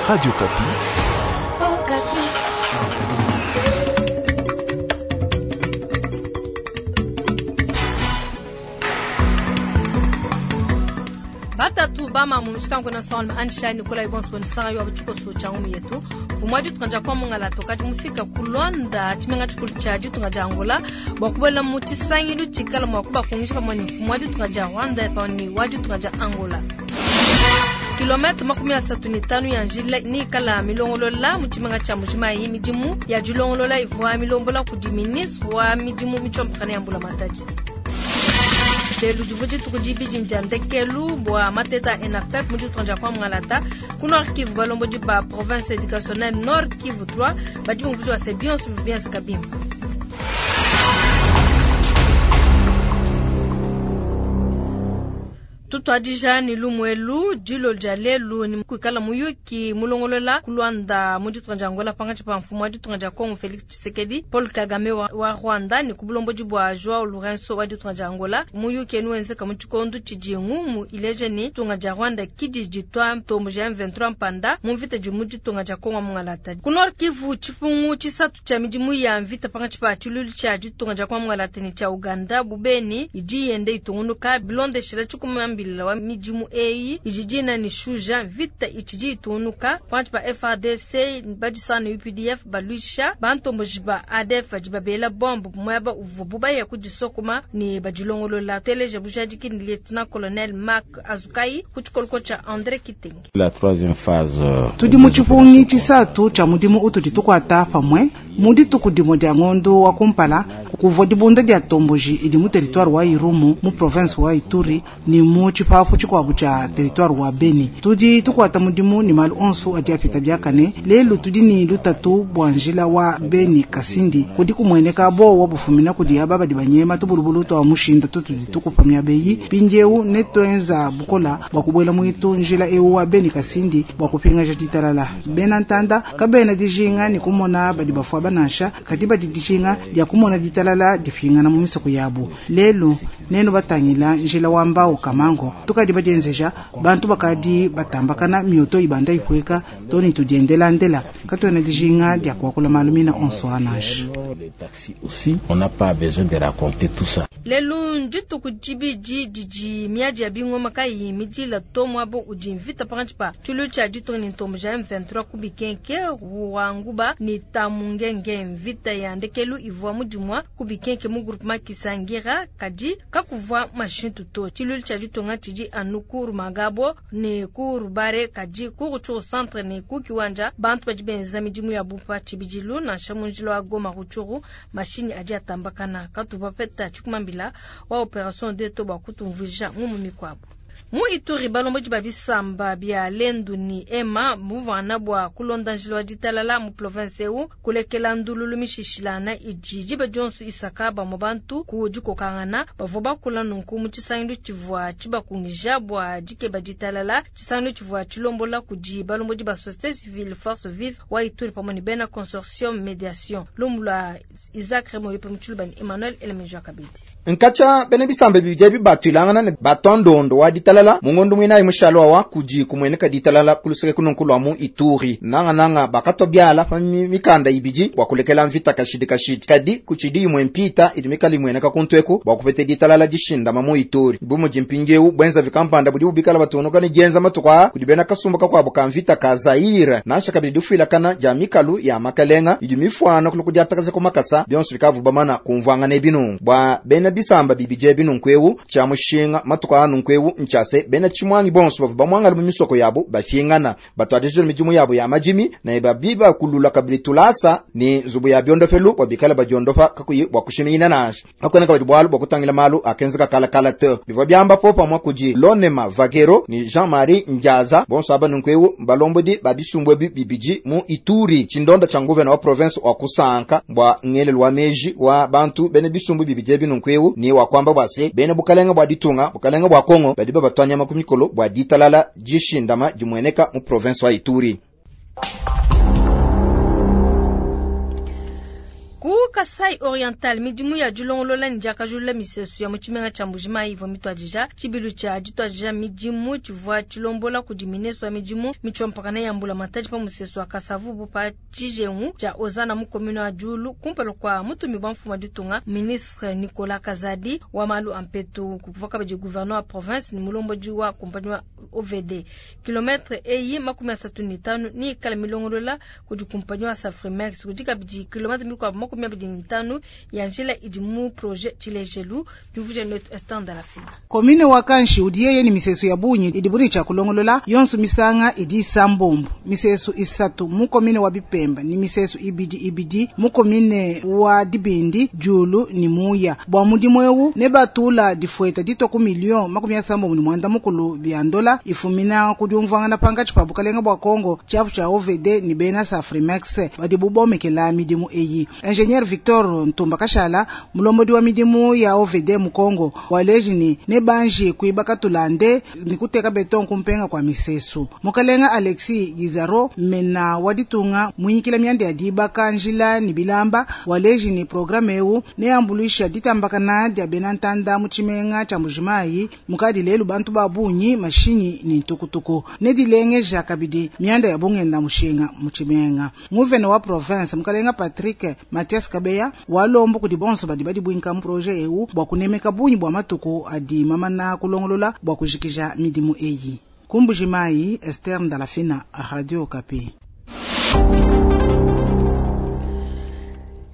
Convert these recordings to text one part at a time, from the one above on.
Radio Okapi. Batatu bama mu mushikango na son ansha Nicolas Ibons bonisanga yo abutshikoso tsha ngumu yetu umwa ditunga dia kwamungala tokadi mufika ku Luanda tshimenga tshikulu tshia ditunga dia Angola bua kubuela mu tshisangilu tshikala mua kubakungisha pamue ne mfumu wa ditunga dia Rwanda pamue ne wa ditunga dia Angola. Kilomètre 35 ya njila nikala milongolola mu tshimenga tshia Mbujimayi. Midimu ya dilongolola ivua milombola kudi ministre wa midimu mitshombokana ya mbulamatadi. Lelu divua dituku dibidi dia ndekelu bua mateta a ENAFEP mu ditunga dia Kwamouth ku Nord Kivu. Balombodi ba province educationnelle Nord Kivu 3 badi bumvuija se bionso bivua bienzeka bimpe. Tutuadija ne lumuelu dilo dia lelu ni kuikala muyuki mulongolola ku Luanda mu ditunga dia Angola pangatshi pa mfumu wa ditunga dia Congo Felix Tshisekedi, Paul Kagame wa, wa Rwanda ne ku bulombodi bua Joao Lourenço wa ditunga dia Angola. Muyuki enu wenzeka mu tshikondo tshidi ngumu ileja ne ditunga dia Rwanda kidi ditua ntombo ja M23 mpanda mu mvita di mu ditunga dia Congo mungalata. Ku Nord Kivu tshipungu tshisatu tshia midimu ya mvita pangatshi pa tshilulu tshia ditunga dia Congo mungalata ne tshia Uganda bubeni idi yende itungunuka bilondeshela tshikumambila wa midimu eyi idi dina ni shuja vita itshidi itungunuka pangatshi pa FARDC badisana UPDF baluisha bantomboji ba ADF badi babela bombe muaba uvuabu baya kudisokoma ne badilongolola. Teleja bujadiki ni lieutenant colonel Mark Azukai ku tshikoloko tshia André Kitenge. La troisième phase tudi mu tshipungi tshisatu tshia mudimu utudi tukuata pamue mu dituku dimue dia ngondo wa kumpala kuvua dibunda dia tomboji idi mu territoire wa Irumu mu province wa Ituri ne mu tshipafu tshikuabu tshia territoire wa Beni. Tudi tukuata mudimu ne malu onso adi apita biakane. Lelu tudi ne lutatu bua njila wa Beni Kasindi kudi kumueneka bowa bufumina kudi aba badi banyema tubulubulu twa mushinda tutudi tukupa miabeyi mpindieu ne tuenza bukola bua kubuela mwitu njila eu wa Beni Kasindi bua kupingaja ditalala. Bena ntanda kabena dijinga ne kumona badi bafua banansha kadi badi dijinga dia kumona ditalala dipingana mu misoko yabu. Lelu nenu batangila njila wa mbao kamango tukadi badienzeja bantu bakadi batambakana mioto ibanda ipweka toni tudiendelandela katuena dijinga dia kuakula malu mina onso anansha. Les taxis aussi, on n'a pas besoin de raconter tout ça. Lelu ndituku dibidi didi miadi ya bingoma kayi midila to muaba udi mvita pangatshi pa tshilu tshia ditunga ne ntombo ja M23 ku Bikenke Ruanguba ne Tamungenge. Mvita ya ndekelu ivua mudimua ku Bikenke mu groupement Kisangira kadi kakuvua mashintu to. Tshilu tshia ditunga tshidi anu ku Rumagabo ne ku Rubare kadi ku Rutshuru centre ne ku Kiwanja bantu badi benza midimu ya bupa tshibidilu nansha mu njila wa Goma Rutshuru mashinyi adi atambakana katuvua peta tshikumambila wa opération de to bua kutumvuija ngumu mikuabu. Mu Ituri balombodi ba bisamba bia Lendu ni Ema muvana bua kulonda njila wa ditalala mu province eu kulekela ndululu mishishilana idi diba dionso isaka bamue bantu ku dikokangana bavua bakula nunku mu tshisangilu tshivua tshibakungija bua dikeba ditalala. Tshisangilu tshivua tshilombola kudi balombodi ba société civile force vive wa Ituri pamue ne bena consortium médiation. Lumu lua Isaac Remoyope mu Tshiluba ni Emmanuel Elemejo Kabidi. Nkacha bene bisamba bibidi bibatwilangana ne batondondo wa ditalala mungondo mwinayi mushalo wa kudi kumweneka ditalala kuluseke kununkulwa mu Ituri nanga nanga bakatwa byala pa mikanda ibidi bua kulekela mvita kashidi kashidi kadi kuchidi imwe mpita idi mikali imweneka kuntweku bua kupete ditalala dishindama mu Ituri bumudi mpindieu bwenza vikampanda budi bubikala batunuka ne dienza matuku kudi bena kasumba kakuabu ka mvita ka Zaire nansha kabidi difuilakana dia mikalu ya makalenga idi mifuana kuluku diatakaza ku makasa bionso bikavu bamana kumvuangana ebinungu bua bena bisamba bibidi ebinungu eu tshia mushinga matuku anungu eu nchase bena tshimwangi bonso bavu bamwangala mu misoko yabo bafingana batwadijile midimu yabo ya majimi na babiba kulula kabili tulasa ni nzubu ya biondofelu bwa bikala badiondofa kakuyi bwa kushimina nasha akona kabidi bwalu bwa kutangila malu akenzeka kala kala te bivua byamba po pamwa kudi Lonema Vagero ni Jean-Marie Njaza bonso aba nungu eu balombodi babisumbwe bibidi mu Ituri tshindonda tsha nguvena wa province wa kusanka bwa ngelelu wa meji wa bantu bene bisumbu bibidi binungu eu ni wa kwamba bwase bene bukalenga bwa ditunga bukalenga bwa Kongo badi babatwanya makumikolo bwa ditalala dishindama dimweneka mu province wa Ituri. Ku Kasai Oriental, midimu ya dilongolola ne diakajulula misesu ya mu tshimenga tshia Mbuji-Mayi ivua mituadija. Tshibilu tshia dituadija midimu tshivua tshilombola kudi ministre wa midimu mitshompakana ya mbulamatadi pa musesu wa Kasavubu pa tshijengu tshia Ozana mu commune wa Diulu kumpala kua mutumi wa mfumu wa ditunga ministre Nicolas Kazadi wa malu a mpetu. Kuvua kabidi gouverneur wa province ne mulombodi wa kumpanyi wa OVD. Kilometre eyi 35 ni ikala milongolola kudi kumpanyi wa Safrimex. Kudi kabidi kilometre mikuabu 25 ya njila idi mu projet Tshilejelu. Diumvuija netu Esther Ndalafina. Commune wa Kanshi udi yeye ni misesu ya bunyi idi buni cha kulongolola yonso misanga idi isambombo misesu isatu mu commune wa Bipemba ni misesu ibidi ibidi mu commune wa Dibindi Diulu ni Muya bwa mudimu ewu ne batula difueta ditwa ku million 69 bya ndola ifumina kudiumvwangana pangatshi pa bukalenga bwa Kongo tshiapu tshia OVD ni bena Safrimex badi bubomekela midimu eyi. Ingénieur Victor Ntumba Kashala, mulombodi wa midimu ya OVD mu Kongo, waleji ni ne banji kuibaka tulande ni kuteka beton kumpenga kwa misesu. Mukalenga Alexis Gizaro mena waditunga muinyikila mianda ya dibaka njila ni bilamba, waleji ni programme ewu ne ambuluisha ditambakana dia bena ntanda mu tshimenga tshia Mbuji-Mayi mukadi lelu bantu ba bunyi mashinyi ni ntukutuku ne dilengeja kabidi mianda ya bungenda mushinga mu tshimenga. Nguvene wa province mukalenga Patrick Mathias Kabeya walombo kudi bonso badi badi bwinka mu projet ewu bwa kunemeka bunyi bwa matuku adi mamana kulongolola bwa kujikija midimu eyi. Ku Mbuji-Mayi, Esther Ndalafina, Radio Okapi.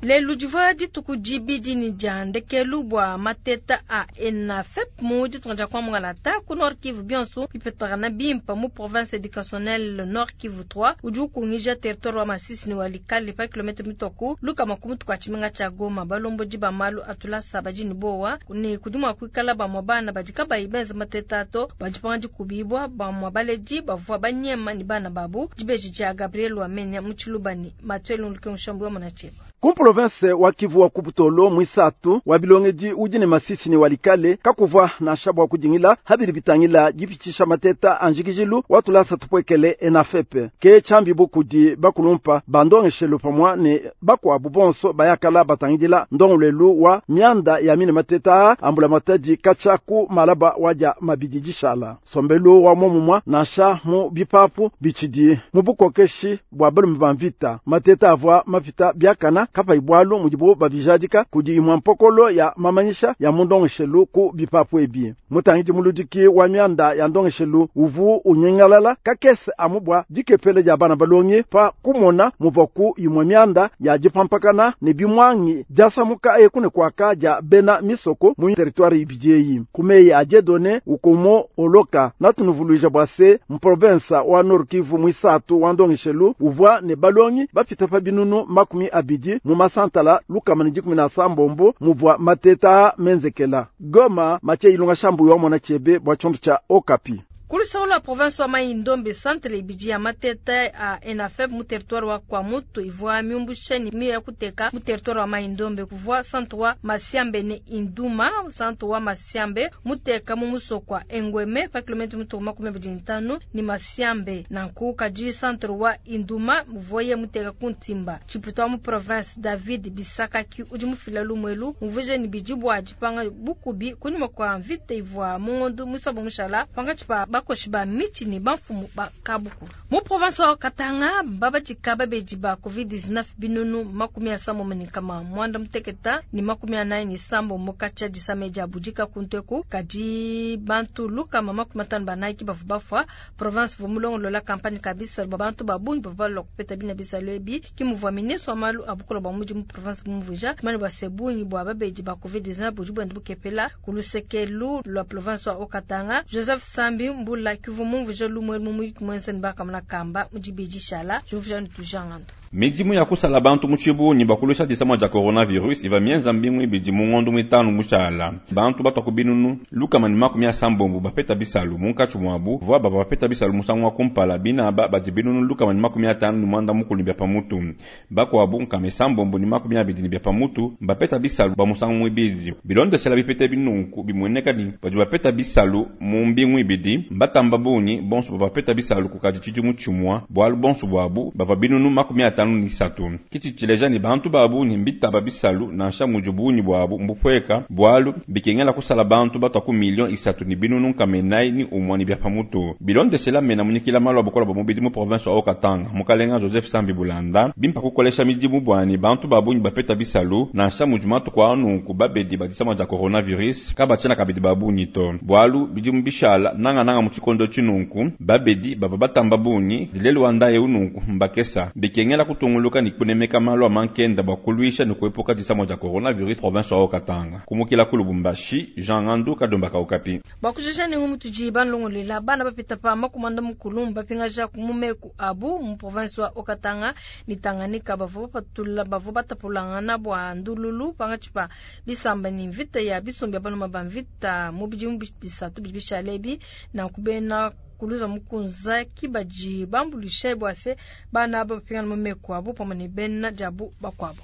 Lelu divua dituku dibidi ni dia ndekelu bua mateta a ENAFEP mu ditunga dia Kwamouth ku Nord Kivu bionso bipetakana bimpa mu province éducationnelle Nord Kivu 3 udi ukungija territoire wa Masisi ni Walikale pa kilomètre mitoku lukama ku mutu kwa tshimenga tshia Goma. Balombodi ba malu atulasa badi ni bowa ni kudi mua kuikala bamua bana badi kabayi benza mateta ato badi panga dikubibwa bamua baledi bavua banyema ni bana babu. Dibeji dia Gabriel Wamenya mu Tshilubani Mathieu Luluke Mushambu wa Munacheba. Ku province wa Kivu wa Kubutolo mwisatu wa bilongedi udi ne Masisi ni Walikale kakuvwa na shabwa kudingila habili bitangila dipitisha mateta anjikijilu watulasa tupwekele ENAFEP ke chambi bukudi bakulumpa bandongeshelo pamwa ne bakwabu bonso bayakala batangidila ndongolelu wa mianda ya mine mateta ambula matadi kachaku malaba waja mabidi dishala sombelu wa momumwa nansha mu bipapu bichidi mu bukokeshi bwa balume ba mvita mateta avwa mapita biakana kapa ibwalu mudibu babijadika kudi imwa mpokolo ya mamanyisha ya mundongeshelu ku bipapu ebi. Mutangidi muludiki wa mianda ya ndongeshelu uvu unyengalala kakese amubwa dikepele dia bana balongi pa kumona muvaku imwa mianda ya dipampakana ne bimwangi diasamuka ekune kwaka dia bena misoko mu territoire ibidieyi kumeyi ajedone ukomo oloka natunuvuluija bwa se mprovinsa wa Nord Kivu mwisatu wa ndongeshelu uvwa ne balongi bapita pa binunu 20 mu masantala lukama ni 17 muvwa mateta menzekela. Goma Matie Ilunga Shambu wa mona chebe bwa chombo cha Okapi. Kulisaula province wa Mai-Ndombe centre ibidi ya mateta a ENAFEP mu territoire wa Kwamouth ivua miumbusha ni mia ya kuteka mu territoire wa Mai-Ndombe kuvua centre wa Masiambe ne Induma centre wa Masiambe muteka mu musokwa Engweme pa kilomètre mutu 25 ni Masiambe na nkuka ji centre wa Induma muvoye muteka kuntimba. Chiputa mu province David Bisakaki udi mufila lumwelu muvuje ni bidi bwa dipanga bukubi kunyuma kwa mvita ivua mungondo musabo mushala panga chipa bakoshi ba michi ni bamfumu ba kabuku. Mu province wa Katanga babajika babeji ba COVID-19 binunu 78 mukacha disameja bujika kunteku kadi bantu lukama 54 bavu bafwa. Province vumulongo lola campagne kabisa ba bantu babungi bavu balwa kupeta bina bisalo ebi kimuvwa ministre wa malu abukola ba muji mu province mumvuja mani bwa sebungi bwa babeji ba COVID-19 buji bwende bukepela kulusekelu lwa province wa Katanga. Joseph Sambi Mbula kivu mumvuja lumwe mumuyiki mwenze nibaka kamba mujibiji shala juvuja nitujangandu. Midimu ya kusala bantu mu tshibunyi bakulusha disamwa dia coronavirus iva mienza mbingu ibidi mu ngondo mwitanu mushala. Bantu batwa ku binunu lukama ni 70 bapeta bisalu munkatshi mwabu vwa baba bapeta bisalu musangu wa kumpala binaba badi binunu lukama ni 59 bya pamutu. Bakwabu nkame sambombo ni 20 bya pamutu bapeta bisalu ba musangu mwibidi. Bilondeshela bipete binunku bimweneka ni badi bapeta bisalu mu mbingu ibidi mbatamba bunyi bonso bapeta bisalu kukadi tshidimu tshimwa bwalu bonso bwabu bava binunu 55 53. Kitshi tshileja ne bantu ba bungi mbitaba bisalu nansha mudi bungi buabu mbupueka bualu bikengela kusala bantu batwa ku million 3 ne binunu 401 ne bia pamutu. Bilondeshela mena munyikila malu a bukola bua mubidi mu province wa Haut-Katanga mukalenga Joseph Sambi Bulanda bimpa kukolesha midimu bwani bantu ba bungi bapeta bisalu nansha mudi matuku a nunku babedi ba disama dia coronavirus kabatshiena kabidi ba bungi to bualu bidimu bishala nangananga mu tshikondo tshinunku babedi bavua batamba bungi lelu wa ndaye ununku mbakesa bikengela kutunguluka ne kunemeka malu a mankenda bua kuluisha ne kuepuka disama dia coronavirus province wa Haut-Katanga kumukila ku Lubumbashi Jean Ngandu Kadomba Kaukapi. Bakujisha ne ngumu tudi banlongolela bana bapita pa makumanda mukulu bapingaja ku mumeku abu mu province wa Haut-Katanga ne Tanganyika bavua bapatula bavua batapulangana bua ndululu pangatshi pa bisamba ne mvita ya bisumbi ya banuma ba mvita mu bidimu bisatu bidi bishale ebi nanku bena kuluza mukunza kibadi bambulisha bua se bana aba bapingana mu meku abu pamue ne bena diabu bakuabu.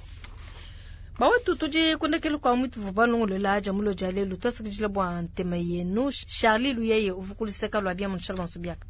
Bawetu tudi kundekelu kwa mwitu vubalongolela dia mulo dia lelu twasakidila bua ntema yenu Charlie Luyeye uvukuliseka lwa bia mu Shalom Subiaka.